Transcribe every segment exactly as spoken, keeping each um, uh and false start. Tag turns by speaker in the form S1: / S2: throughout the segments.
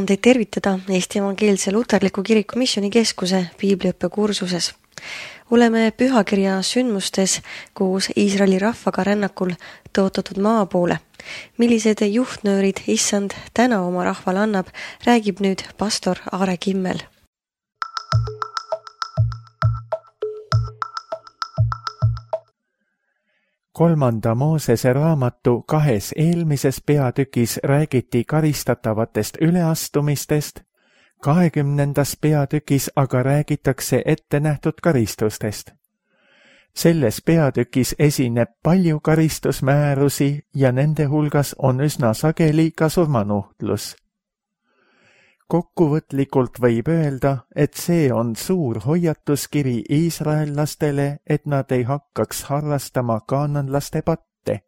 S1: on teid tervitada Eesti Evangeelse Luterliku Kiriku Missioonikeskuse piibliõppekursuses. Oleme pühakirja sündmustes koos Iisraeli rahvaga rännakul tõotatud maa poole. Millised juhtnöörid issand täna oma rahvale annab, räägib nüüd pastor Aare Kimmel.
S2: Kolmanda Moosese raamatu kahes eelmises peatükis räägiti karistatavatest üleastumistest, kahekümnendas peatükis aga räägitakse ettenähtud karistustest. Selles peatükis esineb palju karistusmäärusi ja nende hulgas on üsna sageli ka surmanuhtlus. Kokkuvõtlikult võib öelda, et see on suur hoiatuskiri iisraellastele, et nad ei hakkaks harrastama kaananlaste patte.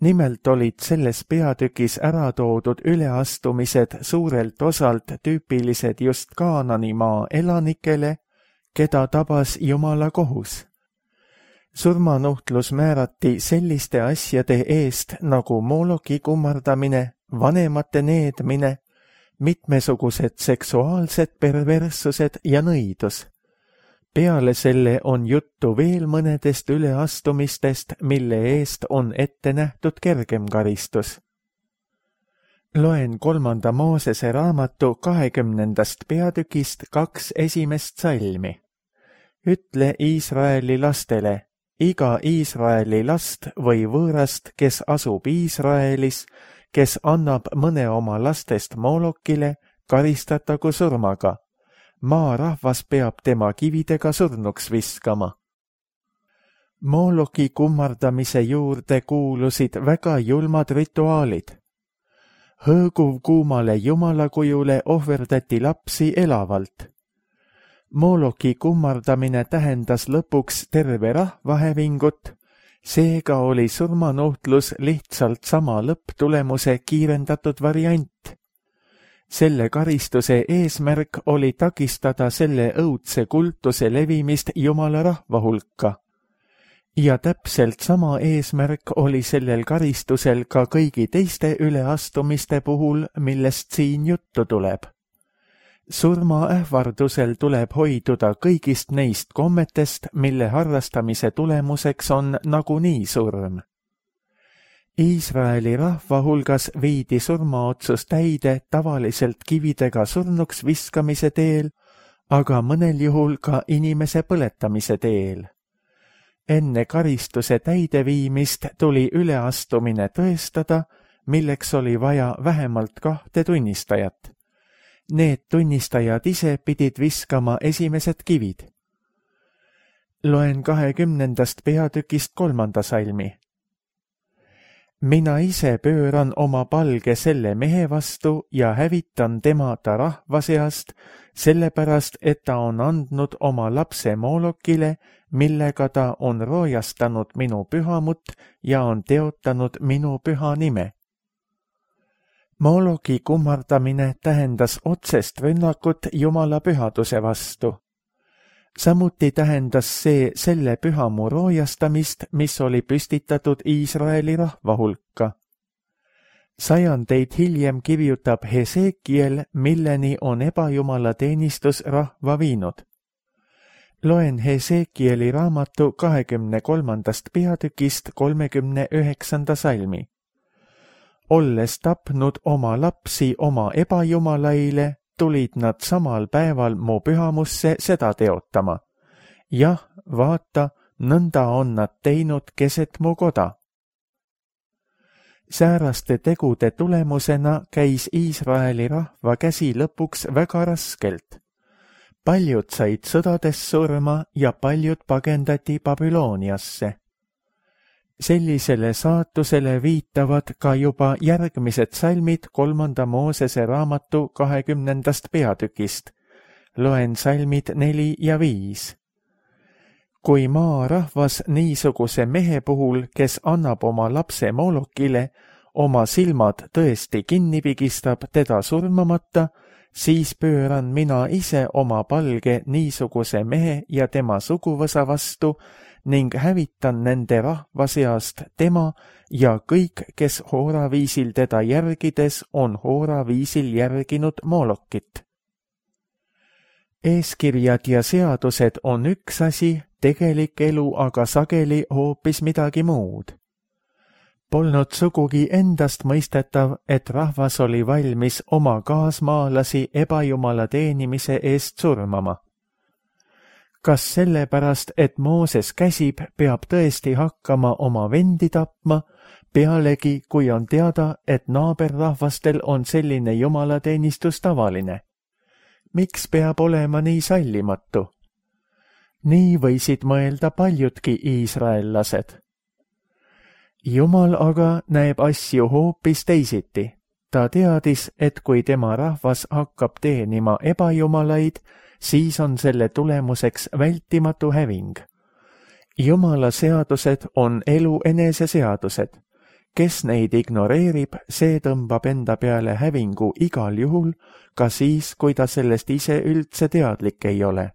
S2: Nimelt olid selles peatükis ära toodud üleastumised suurelt osalt tüüpilised just Kaananimaa elanikele, keda tabas Jumala kohus. Surmanuhtlus määrati selliste asjade eest nagu mooloki kummardamine, vanemate needmine, mitmesugused seksuaalsed perverssused ja nõidus. Peale selle on juttu veel mõnedest üleastumistest, mille eest on ette nähtud kergem karistus. Loen kolmanda Moosese raamatu kahekümnendast peatükist kaks esimest salmi. Ütle Iisraeli lastele, iga Iisraeli last või võõrast, kes asub Iisraelis, kes annab mõne oma lastest moolokile, karistatagu surmaga. Maa rahvas peab tema kividega surnuks viskama. Mooloki kummardamise juurde kuulusid väga julmad rituaalid. Hõõguv kuumale jumalakujule ohverdati lapsi elavalt. Mooloki kummardamine tähendas lõpuks terve rahvahävingut, seega oli surmanuhtlus lihtsalt sama lõpptulemuse kiirendatud variant. Selle karistuse eesmärk oli takistada selle õudse kultuse levimist Jumala rahva hulka. Ja täpselt sama eesmärk oli sellel karistusel ka kõigi teiste üleastumiste puhul, millest siin juttu tuleb. Surmaähvardusel tuleb hoiduda kõigist neist kommetest, mille harrastamise tulemuseks on nagunii surm. Iisraeli rahva hulgas viidi surmaotsus täide tavaliselt kividega surnuks viskamise teel, aga mõnel juhul ka inimese põletamise teel. Enne karistuse täideviimist tuli üleastumine tõestada, milleks oli vaja vähemalt kahte tunnistajat. Need tunnistajad ise pidid viskama esimesed kivid. Loen kahekümnendast peatükist kolmanda salmi. Mina ise pööran oma palge selle mehe vastu ja hävitan tema ta rahva seast, sellepärast, et ta on andnud oma lapse moolokile, millega ta on roojastanud minu pühamut ja on teotanud minu püha nime. Mooloki kummardamine tähendas otsest rünnakut Jumala pühaduse vastu. Samuti tähendas see selle pühamu roojastamist, mis oli püstitatud Iisraeli rahva hulka. Sajandeid hiljem kirjutab Hesekiel, milleni on ebajumala teenistus rahva viinud. Loen Hesekieli raamatu kahekümne kolmandast peatükist kolmekümne üheksanda salmi. Olles tapnud oma lapsi oma ebajumalaile, tulid nad samal päeval mu pühamusse seda teotama. Jah, vaata, nõnda on nad teinud keset mu koda. Sääraste tegude tulemusena käis Iisraeli rahva käsi lõpuks väga raskelt. Paljud said sõdades surma ja paljud pagendati Babyloniasse. Sellisele saatusele viitavad ka juba järgmised salmid kolmanda Moosese raamatu kahekümnendast peatükist. Loen salmid neli ja viis. Kui maa rahvas niisuguse mehe puhul, kes annab oma lapse moolokile, oma silmad tõesti kinni pigistab teda surmamata, siis pööran mina ise oma palge niisuguse mehe ja tema suguvõsa vastu ning hävitan nende rahva seast tema ja kõik, kes hooraviisil teda järgides on hooraviisil järginud Moolokit. Eeskirjad ja seadused on üks asi, tegelik elu aga sageli hoopis midagi muud. Polnud sugugi endast mõistetav, et rahvas oli valmis oma kaasmaalasi ebajumala teenimise eest surmama. Kas sellepärast, et Mooses käsib, peab tõesti hakkama oma vendi tapma, pealegi kui on teada, et naaberrahvastel on selline jumalateenistus tavaline? Miks peab olema nii sallimatu? Nii võisid mõelda paljudki iisraellased. Jumal aga näeb asju hoopis teisiti. Ta teadis, et kui tema rahvas hakkab teenima ebajumalaid, siis on selle tulemuseks vältimatu häving. Jumala seadused on elu enese seadused. Kes neid ignoreerib, see tõmbab enda peale hävingu igal juhul, ka siis, kui ta sellest ise üldse teadlik ei ole.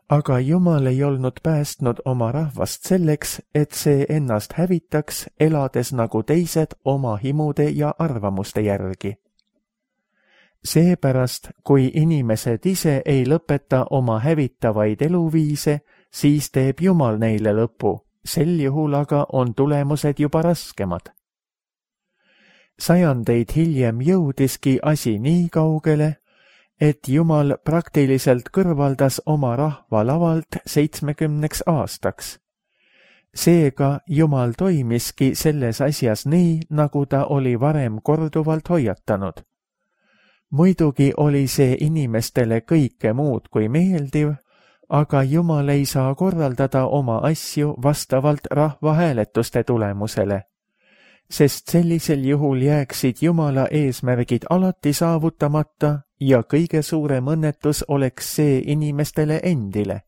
S2: Aga Jumal ei olnud päästnud oma rahvast selleks, et see ennast hävitaks, elades nagu teised oma himude ja arvamuste järgi. Seepärast, kui inimesed ise ei lõpeta oma hävitavaid eluviise, siis teeb Jumal neile lõpu, sel juhul aga on tulemused juba raskemad. Sajandeid hiljem jõudiski asi nii kaugele, et Jumal praktiliselt kõrvaldas oma rahva lavalt seitsmekümneks aastaks. Seega Jumal toimiski selles asjas nii, nagu ta oli varem korduvalt hoiatanud. Muidugi oli see inimestele kõike muud kui meeldiv, aga Jumal ei saa korraldada oma asju vastavalt rahvahääletuste tulemusele, sest sellisel juhul jääksid Jumala eesmärgid alati saavutamata ja kõige suurem õnnetus oleks see inimestele endile.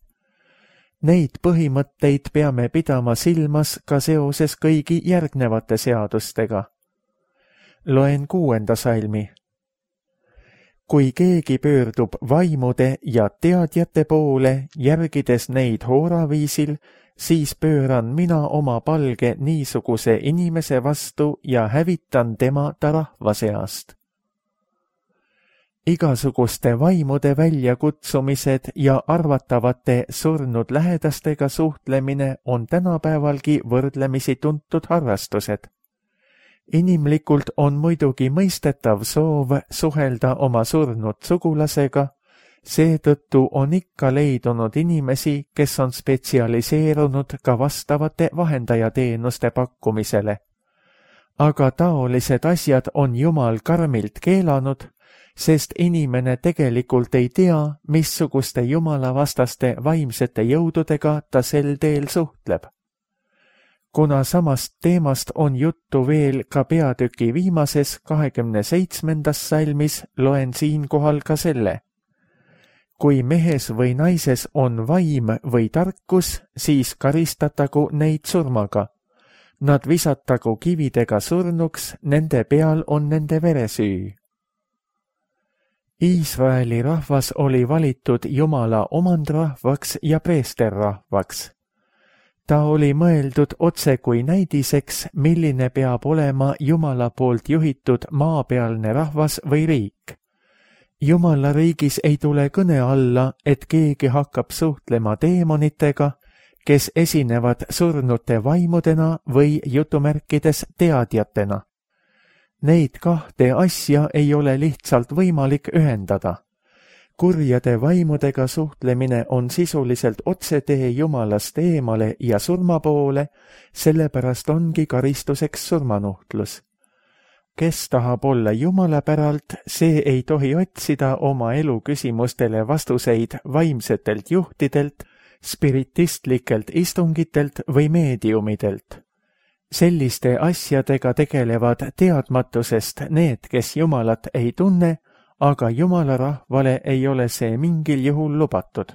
S2: Neid põhimõtteid peame pidama silmas ka seoses kõigi järgnevate seadustega. Loen kuuenda salmi. Kui keegi pöördub vaimude ja teadjate poole, järgides neid hooraviisil, siis pööran mina oma palge niisuguse inimese vastu ja hävitan tema ta rahva seast. Igasuguste vaimude väljakutsumised ja arvatavate surnud lähedastega suhtlemine on tänapäevalgi võrdlemisi tuntud harrastused. Inimlikult on muidugi mõistetav soov suhelda oma surnud sugulasega, seetõttu on ikka leidunud inimesi, kes on spetsialiseerunud ka vastavate vahendajateenuste pakkumisele. Aga taolised asjad on Jumal karmilt keelanud, sest inimene tegelikult ei tea, missuguste jumalavastaste vaimsete jõududega ta sel teel suhtleb. Kuna samast teemast on juttu veel ka peatüki viimases kahekümne seitsmendas salmis, loen siinkohal ka selle. Kui mehes või naises on vaim või tarkus, siis karistatagu neid surmaga. Nad visatagu kividega surnuks, nende peal on nende veresüü. Iisraeli rahvas oli valitud Jumala omandrahvaks ja preesterrahvaks. Ta oli mõeldud otse kui näidiseks, milline peab olema Jumala poolt juhitud maapealne rahvas või riik. Jumala riigis ei tule kõne alla, et keegi hakkab suhtlema deemonitega, kes esinevad surnute vaimudena või jutumärkides teadjatena. Neid kahte asja ei ole lihtsalt võimalik ühendada. Kurjade vaimudega suhtlemine on sisuliselt otsetee Jumalast eemale ja surma poole, sellepärast ongi karistuseks surmanuhtlus. Kes tahab olla Jumala päralt, see ei tohi otsida oma elu küsimustele vastuseid vaimsetelt juhtidelt, spiritistlikelt istungitelt või meediumidelt. Selliste asjadega tegelevad teadmatusest need, kes Jumalat ei tunne, aga Jumala rahvale ei ole see mingil juhul lubatud.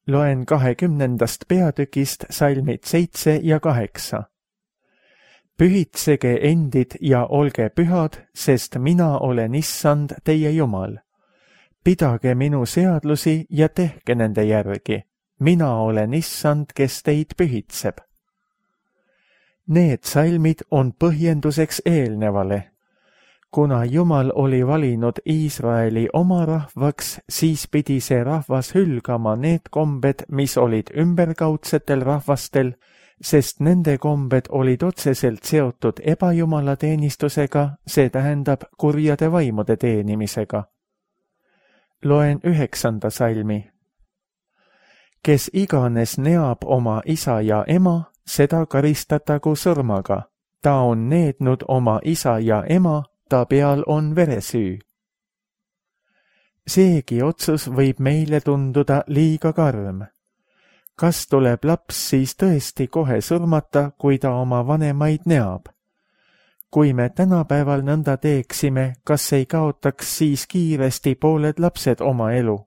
S2: Loen kahekümnendast peatükist salmid seitse ja kaheksa. Pühitsege endid ja olge pühad, sest mina olen Issand teie Jumal. Pidage minu seadlusi ja tehke nende järgi. mina olen issand, kes teid pühitseb. Need salmid on põhjenduseks eelnevale. Kuna Jumal oli valinud Iisraeli oma rahvaks, siis pidi see rahvas hülgama need kombed, mis olid ümberkaudsetel rahvastel, sest nende kombed olid otseselt seotud ebajumalateenistusega, see tähendab kurjade vaimude teenimisega. Loen üheksanda salmi. Kes iganes neab oma isa ja ema, seda karistatagu surmaga. Ta on neednud oma isa ja ema, ta peal on veresüü. Seegi otsus võib meile tunduda liiga karm. Kas tuleb laps siis tõesti kohe surmata, kui ta oma vanemaid neab? Kui me tänapäeval nõnda teeksime, kas ei kaotaks siis kiiresti pooled lapsed oma elu?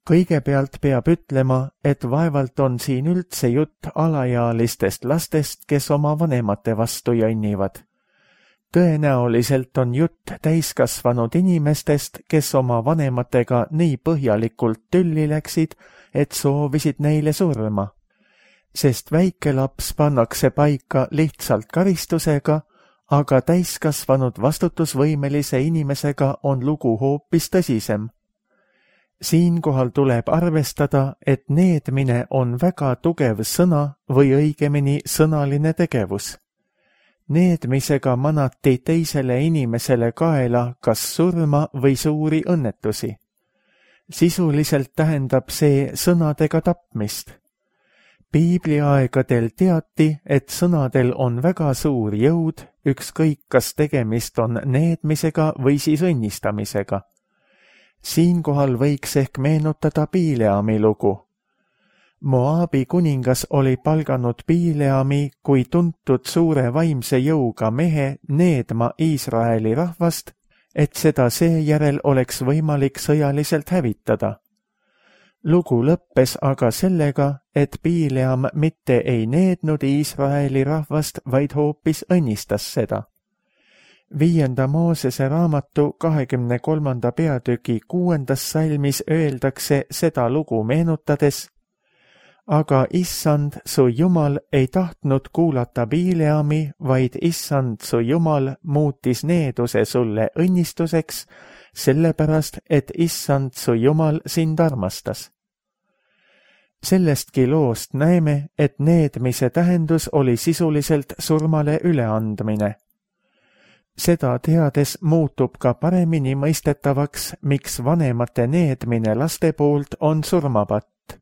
S2: Kõigepealt peab ütlema, et vaevalt on siin üldse jutt alaealistest lastest, kes oma vanemate vastu jonnivad. Tõenäoliselt on jutt täiskasvanud inimestest, kes oma vanematega nii põhjalikult tülli läksid, et soovisid neile surma. Sest väike laps pannakse paika lihtsalt karistusega, aga täiskasvanud vastutusvõimelise inimesega on lugu hoopis tõsisem. Siinkohal tuleb arvestada, et needmine on väga tugev sõna või õigemini sõnaline tegevus. Needmisega manati teisele inimesele kaela kas surma või suuri õnnetusi. Sisuliselt tähendab see sõnadega tapmist. Piibliaegadel teati, et sõnadel on väga suur jõud, ükskõik kas tegemist on needmisega või siis õnnistamisega. Siinkohal võiks ehk meenutada Bileami lugu. Moabi kuningas oli palganud Bileami kui tuntud suure vaimse jõuga mehe needma Iisraeli rahvast, et seda seejärel oleks võimalik sõjaliselt hävitada. Lugu lõppes aga sellega, et Bileam mitte ei neednud Iisraeli rahvast, vaid hoopis õnnistas seda. Viienda Moosese raamatu kahekümne kolmanda peatüki kuuendas salmis öeldakse seda lugu meenutades: aga issand, su Jumal ei tahtnud kuulata Bileami, vaid issand, su Jumal muutis needuse sulle õnnistuseks, sellepärast, et issand, su Jumal sind armastas. Sellestki loost näeme, et needmise tähendus oli sisuliselt surmale üleandmine. Seda teades muutub ka paremini mõistetavaks, miks vanemate needmine laste poolt on surmapatt.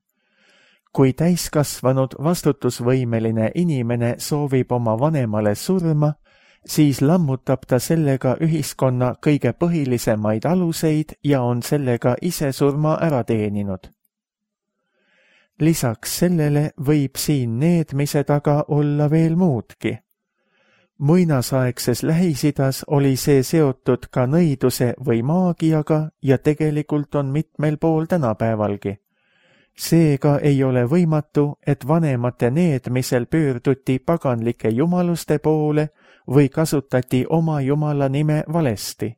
S2: Kui täiskasvanud vastutusvõimeline inimene soovib oma vanemale surma, siis lammutab ta sellega ühiskonna kõige põhilisemaid aluseid ja on sellega ise surma ära teeninud. Lisaks sellele võib siin needmise taga olla veel muudki. Muinasaegses Lähis-Idas oli see seotud ka nõiduse või maagiaga ja tegelikult on mitmel pool tänapäevalgi. Seega ei ole võimatu, et vanemate needmisel pöörduti paganlike jumaluste poole või kasutati oma jumala nime valesti.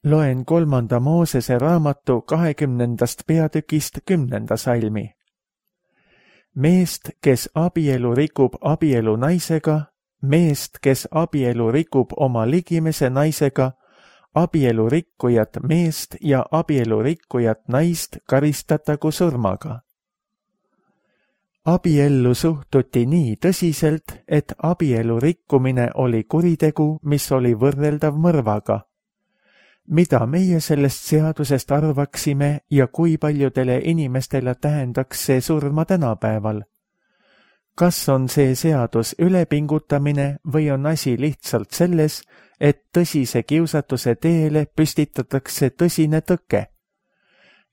S2: Loen kolmanda Moosese raamatu kahekümnendast peatükist kümnenda salmi. Meest, kes abielu rikub abielu naisega, meest, kes abielu rikub oma ligimese naisega, abielu rikkujat meest ja abielu rikkujat naist karistatagu surmaga. Abiellu suhtuti nii tõsiselt, et abielu rikkumine oli kuritegu, mis oli võrreldav mõrvaga. Mida meie sellest seadusest arvaksime ja kui paljudele inimestele tähendaks see surma tänapäeval? Kas on see seadus ülepingutamine või on asi lihtsalt selles, et tõsise kiusatuse teele püstitatakse tõsine tõke?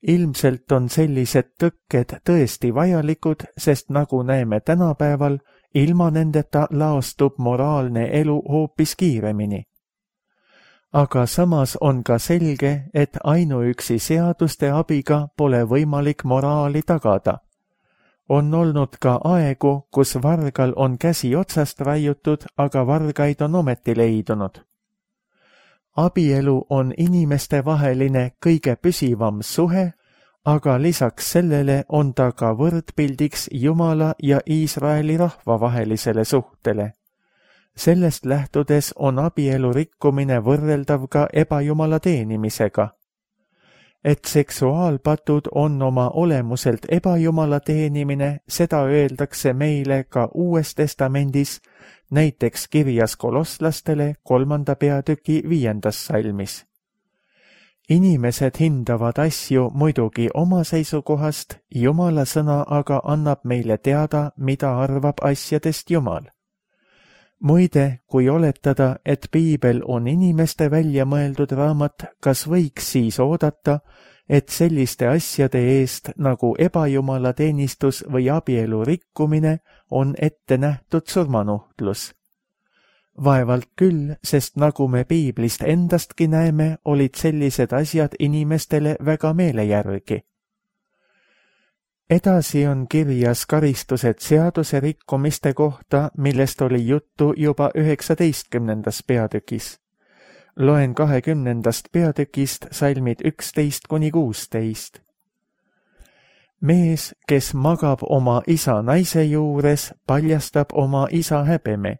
S2: Ilmselt on sellised tõkked tõesti vajalikud, sest nagu näeme tänapäeval, ilma nendeta laostub moraalne elu hoopis kiiremini. Aga samas on ka selge, et ainuüksi seaduste abiga pole võimalik moraali tagada. On olnud ka aegu, kus vargal on käsi otsast raiutud, aga vargaid on ometi leidunud. Abielu on inimeste vaheline kõige püsivam suhe, aga lisaks sellele on ta ka võrdpildiks Jumala ja Iisraeli rahva vahelisele suhtele. Sellest lähtudes on abielu rikkumine võrreldav ka ebajumala teenimisega. Et seksuaalpatud on oma olemuselt ebajumala teenimine, seda öeldakse meile ka Uues Testamendis, näiteks kirjas kolosslastele kolmanda peatüki viiendas salmis. Inimesed hindavad asju muidugi oma seisukohast, Jumala sõna aga annab meile teada, mida arvab asjadest Jumal. Muide, kui oletada, et piibel on inimeste välja mõeldud raamat, kas võiks siis oodata, et selliste asjade eest nagu ebajumala teenistus või abielu rikkumine on ette nähtud surmanuhtlus? Vaevalt küll, sest nagu me piiblist endastki näeme, olid sellised asjad inimestele väga meele järgi. Edasi on kirjas karistused seaduse rikkumiste kohta, millest oli juttu juba üheksateistkümnendas peatükis. Loen kahekümnendast peatükist salmid üksteist kuni kuusteist. Mees, kes magab oma isa naise juures, paljastab oma isa häbeme.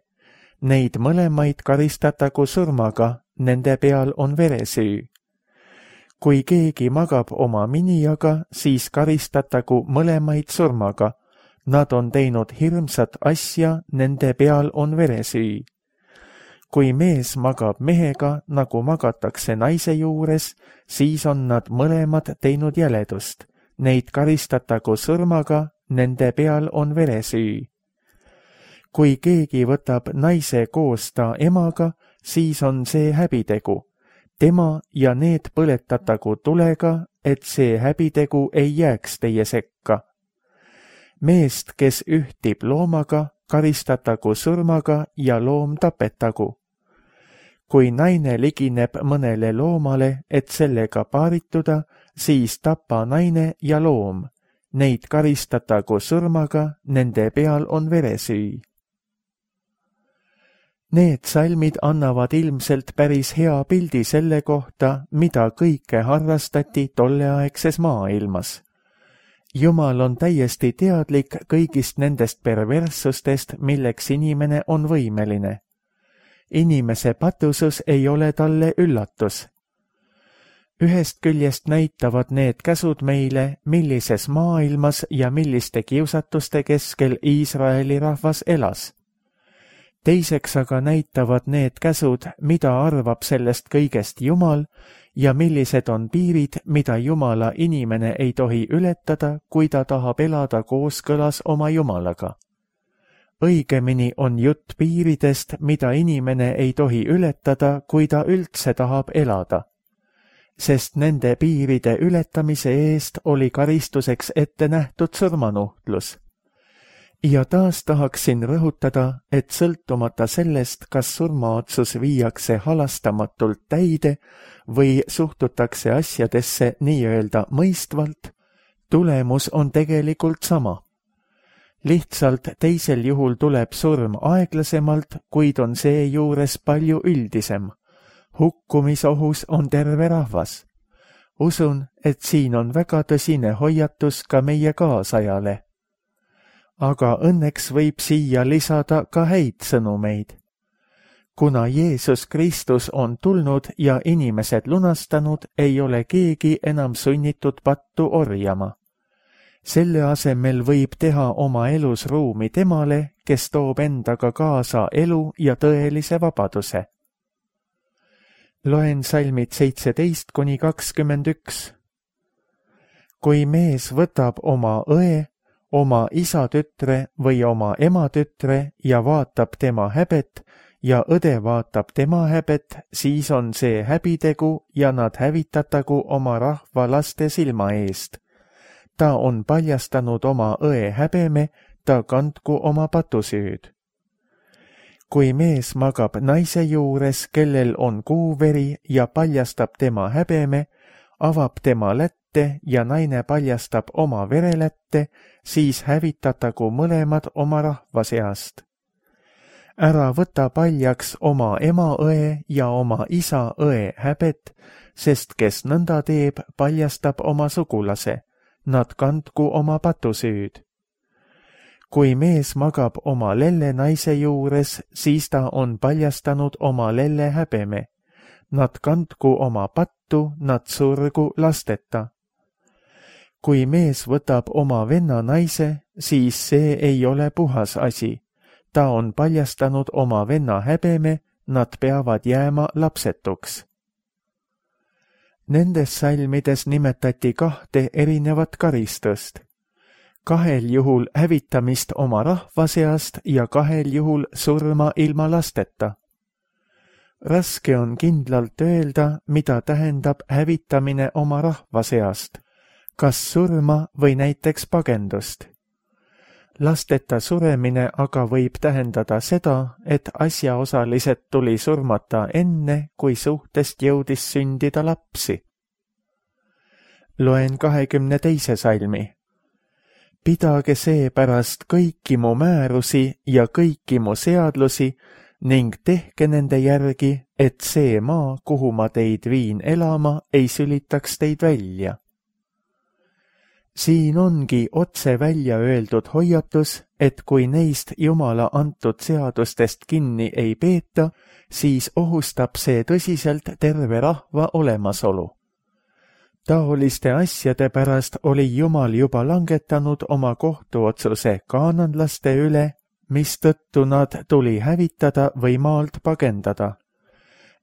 S2: Neid mõlemaid karistatagu surmaga, nende peal on veresüü. Kui keegi magab oma minijaga, siis karistatagu mõlemaid surmaga. Nad on teinud hirmsat asja, nende peal on veresüü. Kui mees magab mehega, nagu magatakse naise juures, siis on nad mõlemad teinud jäledust. Neid karistatagu surmaga, nende peal on veresüü. Kui keegi võtab naise koos ta emaga, siis on see häbitegu. Tema ja need põletatagu tulega, et see häbitegu ei jääks teie sekka. Meest, kes ühtib loomaga, karistatagu surmaga ja loom tapetagu. Kui naine ligineb mõnele loomale, et sellega paarituda, siis tapa naine ja loom. Neid karistatagu surmaga, nende peal on veresüü. Need salmid annavad ilmselt päris hea pildi selle kohta, mida kõike harrastati tolleaegses maailmas. Jumal on täiesti teadlik kõigist nendest perverssustest, milleks inimene on võimeline. Inimese patusus ei ole talle üllatus. Ühest küljest näitavad need käsud meile, millises maailmas ja milliste kiusatuste keskel Iisraeli rahvas elas. Teiseks aga näitavad need käsud, mida arvab sellest kõigest Jumal ja millised on piirid, mida Jumala inimene ei tohi ületada, kui ta tahab elada kooskõlas oma Jumalaga. Õigemini on jutt piiridest, mida inimene ei tohi ületada, kui ta üldse tahab elada. Sest nende piiride ületamise eest oli karistuseks ette nähtud surmanuhtlus. Ja taas tahaksin rõhutada, et sõltumata sellest, kas surmaotsus viiakse halastamatult täide või suhtutakse asjadesse nii-öelda mõistvalt, tulemus on tegelikult sama. Lihtsalt teisel juhul tuleb surm aeglasemalt, kuid on seejuures palju üldisem. Hukkumisohus on terve rahvas. Usun, et siin on väga tõsine hoiatus ka meie kaasajale. Aga õnneks võib siia lisada ka häid sõnumeid. Kuna Jeesus Kristus on tulnud ja inimesed lunastanud, ei ole keegi enam sunnitud pattu orjama. Selle asemel võib teha oma elus ruumi temale, kes toob endaga kaasa elu ja tõelise vabaduse. Loen salmid seitseteist kuni kakskümmend üks. Kui mees võtab oma õe, oma isa tütre või oma ema tütre ja vaatab tema häbet ja õde vaatab tema häbet, siis on see häbitegu ja nad hävitatagu oma rahva laste silma eest. Ta on paljastanud oma õe häbeme, ta kandku oma patusüüd. Kui mees magab naise juures, kellel on kuuveri ja paljastab tema häbeme, avab tema lätte ja naine paljastab oma verelätte, siis hävitatagu mõlemad oma rahva seast. Ära võta paljaks oma ema õe ja oma isa õe häbet, sest kes nõnda teeb, paljastab oma sugulase, nad kandku oma patusüüd. kui mees magab oma lelle naise juures, siis ta on paljastanud oma lelle häbeme. Nad kandku oma pattu, nad surgu lasteta. kui mees võtab oma venna naise, siis see ei ole puhas asi. ta on paljastanud oma venna häbeme, nad peavad jääma lapsetuks. Nendes salmides nimetati kahte erinevat karistust. kahel juhul hävitamist oma rahva seast ja kahel juhul surma ilma lasteta. Raske on kindlalt öelda, mida tähendab hävitamine oma rahva seast, kas surma või näiteks pagendust. Lasteta suremine aga võib tähendada seda, et asjaosalised tuli surmata enne, kui suhtest jõudis sündida lapsi. Loen kahekümne teise salmi. Pidage seepärast kõiki mu määrusi ja kõiki mu seadlusi ning tehke nende järgi, et see maa, kuhu ma teid viin elama, ei sülitaks teid välja. Siin ongi otse välja öeldud hoiatus, et kui neist Jumala antud seadustest kinni ei peeta, siis ohustab see tõsiselt terve rahva olemasolu. Taoliste asjade pärast oli Jumal juba langetanud oma kohtuotsuse kaananlaste üle, mistõttu nad tuli hävitada või maalt pagendada.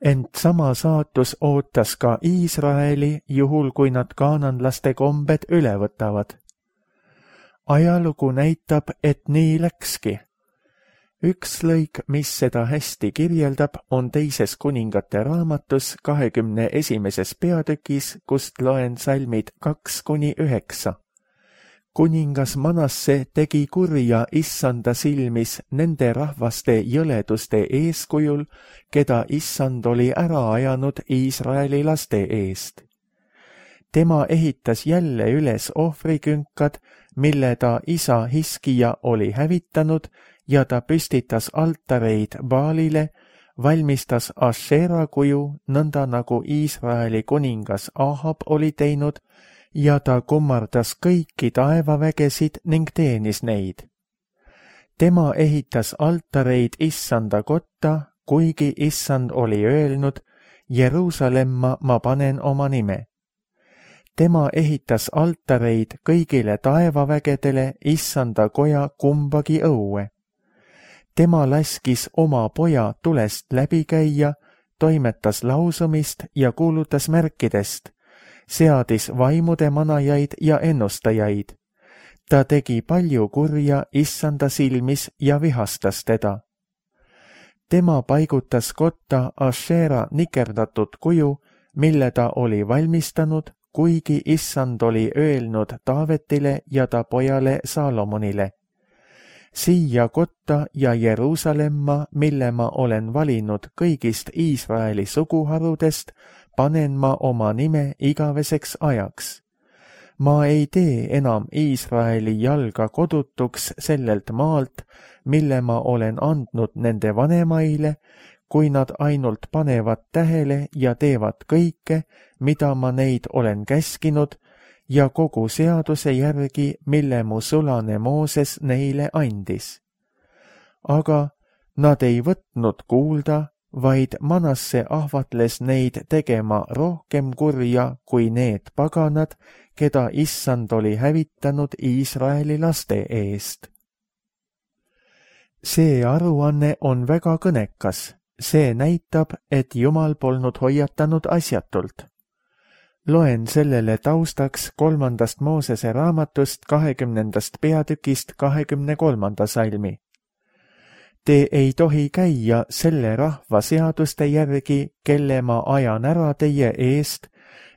S2: Ent sama saatus ootas ka Iisraeli, juhul kui nad kaananlaste kombed üle võtavad. Ajalugu näitab, et nii läkski. Üks lõik, mis seda hästi kirjeldab, on teises kuningate raamatus kahekümne esimeses peatükis, kust loen salmid kaks kuni üheksa. Kuningas Manasse tegi kurja Issanda silmis nende rahvaste jõleduste eeskujul, keda Issand oli ära ajanud Iisraeli laste eest. Tema ehitas jälle üles ohvrikünkad, mille ta isa Hiskija oli hävitanud, ja ta püstitas altareid Baalile, valmistas Ashera kuju, nõnda nagu Iisraeli kuningas Ahab oli teinud, ja ta kummardas kõiki taevavägesid ning teenis neid. Tema ehitas altareid Issanda kotta, kuigi Issand oli öelnud, Jeruusalemma ma panen oma nime. Tema ehitas altareid kõigile taevavägedele Issanda koja kumbagi õue. Tema laskis oma poja tulest läbi käia, toimetas lausumist ja kuulutas märkidest, seadis vaimude manajaid ja ennustajaid. Ta tegi palju kurja Issanda silmis ja vihastas teda. Tema paigutas kotta Ashera nikerdatud kuju, mille ta oli valmistanud, kuigi Issand oli öelnud Taavetile ja ta pojale Saalomonile. Siia kotta ja Jeruusalemma, mille ma olen valinud kõigist Iisraeli suguharudest, panen ma oma nime igaveseks ajaks. Ma ei tee enam Iisraeli jalga kodutuks sellelt maalt, mille ma olen andnud nende vanemaile, kui nad ainult panevad tähele ja teevad kõike, mida ma neid olen käskinud, ja kogu seaduse järgi, mille mu sulane Mooses neile andis. Aga nad ei võtnud kuulda, vaid Manasse ahvatles neid tegema rohkem kurja kui need paganad, keda Issand oli hävitanud Iisraeli laste eest. See aruanne on väga kõnekas. See näitab, et Jumal polnud hoiatanud asjatult. Loen sellele taustaks kolmandast Moosese raamatust kahekümnendast peatükist kahekümne kolmanda salmi. Te ei tohi käia selle rahva seaduste järgi, kelle ma ajan ära teie eest,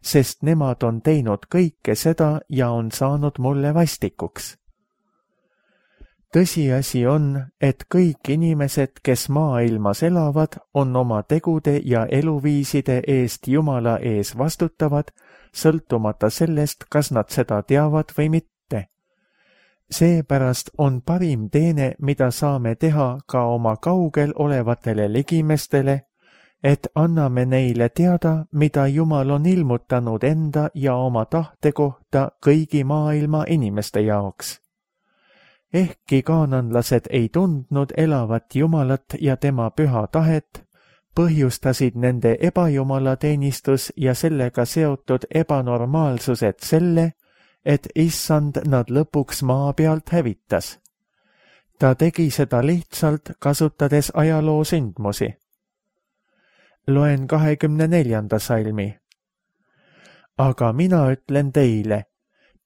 S2: sest nemad on teinud kõike seda ja on saanud mulle vastikuks. Tõsiasi on, et kõik inimesed, kes maailmas elavad, on oma tegude ja eluviiside eest Jumala ees vastutavad, sõltumata sellest, kas nad seda teavad või mitte. Seepärast on parim teene, mida saame teha ka oma kaugel olevatele ligimestele, et anname neile teada, mida Jumal on ilmutanud enda ja oma tahte kohta kõigi maailma inimeste jaoks. Ehkki kaananlased ei tundnud elavat Jumalat ja tema püha tahet, põhjustasid nende ebajumalateenistus ja sellega seotud ebanormaalsused selle, et issand nad lõpuks maa pealt hävitas. Ta tegi seda lihtsalt kasutades ajaloo sündmusi. Loen kahekümne neljanda salmi. Aga mina ütlen teile,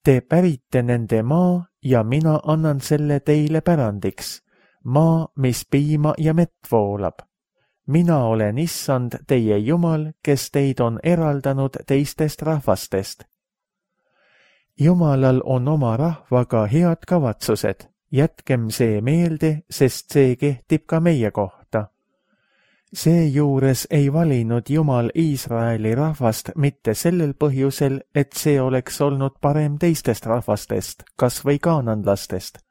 S2: te pärite nende maa ja mina annan selle teile pärandiks, maa, mis piima ja mett voolab. Mina olen issand teie Jumal, kes teid on eraldanud teistest rahvastest. Jumalal on oma rahvaga head kavatsused, jätkem see meelde, sest see kehtib ka meie kohta. Seejuures ei valinud Jumal Iisraeli rahvast mitte sellel põhjusel, et see oleks olnud parem teistest rahvastest, kas või kaananlastest.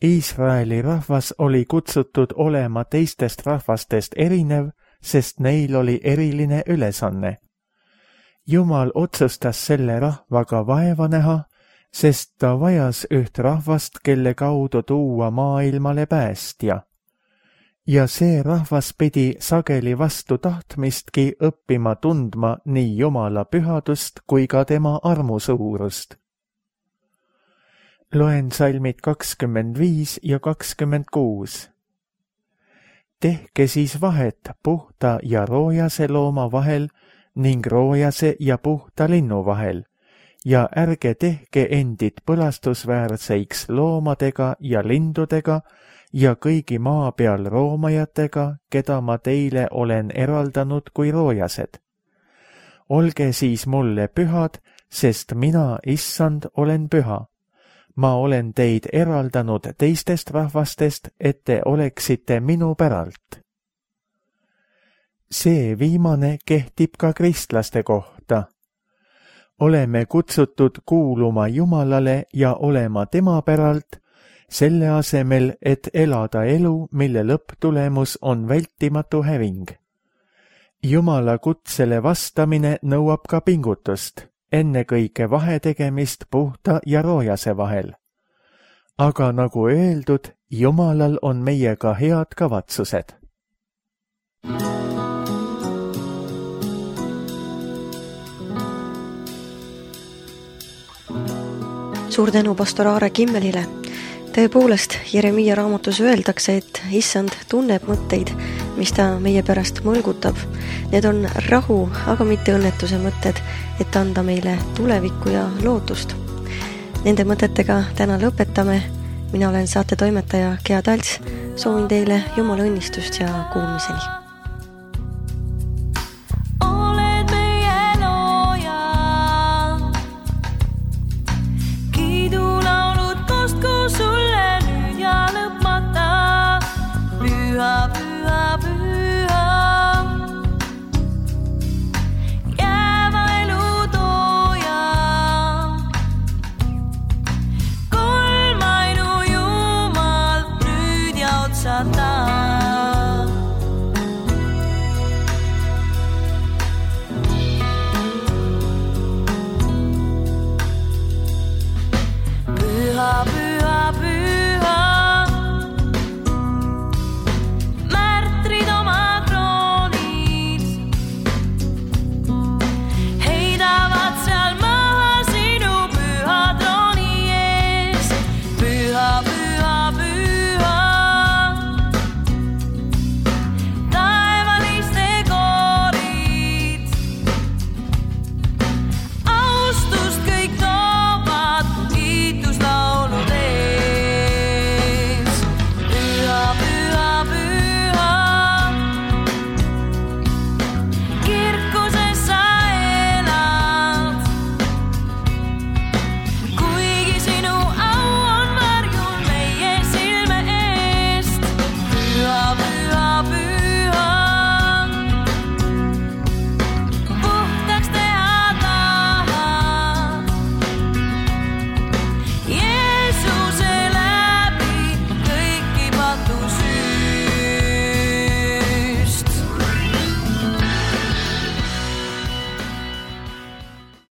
S2: Iisraeli rahvas oli kutsutud olema teistest rahvastest erinev, sest neil oli eriline ülesanne. Jumal otsustas selle rahvaga vaeva näha, sest ta vajas üht rahvast, kelle kaudu tuua maailmale päästja. Ja see rahvas pidi sageli vastu tahtmistki õppima tundma nii Jumala pühadust kui ka tema armu suurust. Loen salmid kakskümmend viis ja kakskümmend kuus. Tehke siis vahet puhta ja roojase looma vahel ning roojase ja puhta linnu vahel ja ärge tehke endid põlastusväärseiks loomadega ja lindudega ja kõigi maa peal roomajatega, keda ma teile olen eraldanud kui roojased. Olge siis mulle pühad, sest mina, issand, olen püha. Ma olen teid eraldanud teistest rahvastest, et te oleksite minu päralt. See viimane kehtib ka kristlaste kohta. Oleme kutsutud kuuluma Jumalale ja olema tema päralt, selle asemel, et elada elu, mille lõpptulemus on vältimatu häving. Jumala kutsele vastamine nõuab ka pingutust, ennekõike vahetegemist puhta ja roojase vahel. Aga nagu öeldud, Jumalal on meiega head kavatsused.
S1: Suur tänu pastor Aare Kimmelile. Tõepoolest, Jeremiia raamatus öeldakse, et issand tunneb mõtteid, mis ta meie pärast mõlgutab. Need on rahu, aga mitte õnnetuse mõtted, et anda meile tulevikku ja lootust. Nende mõtetega täna lõpetame. Mina olen saate toimetaja Gea Talts. Soovin teile Jumala õnnistust ja kuulmiseni.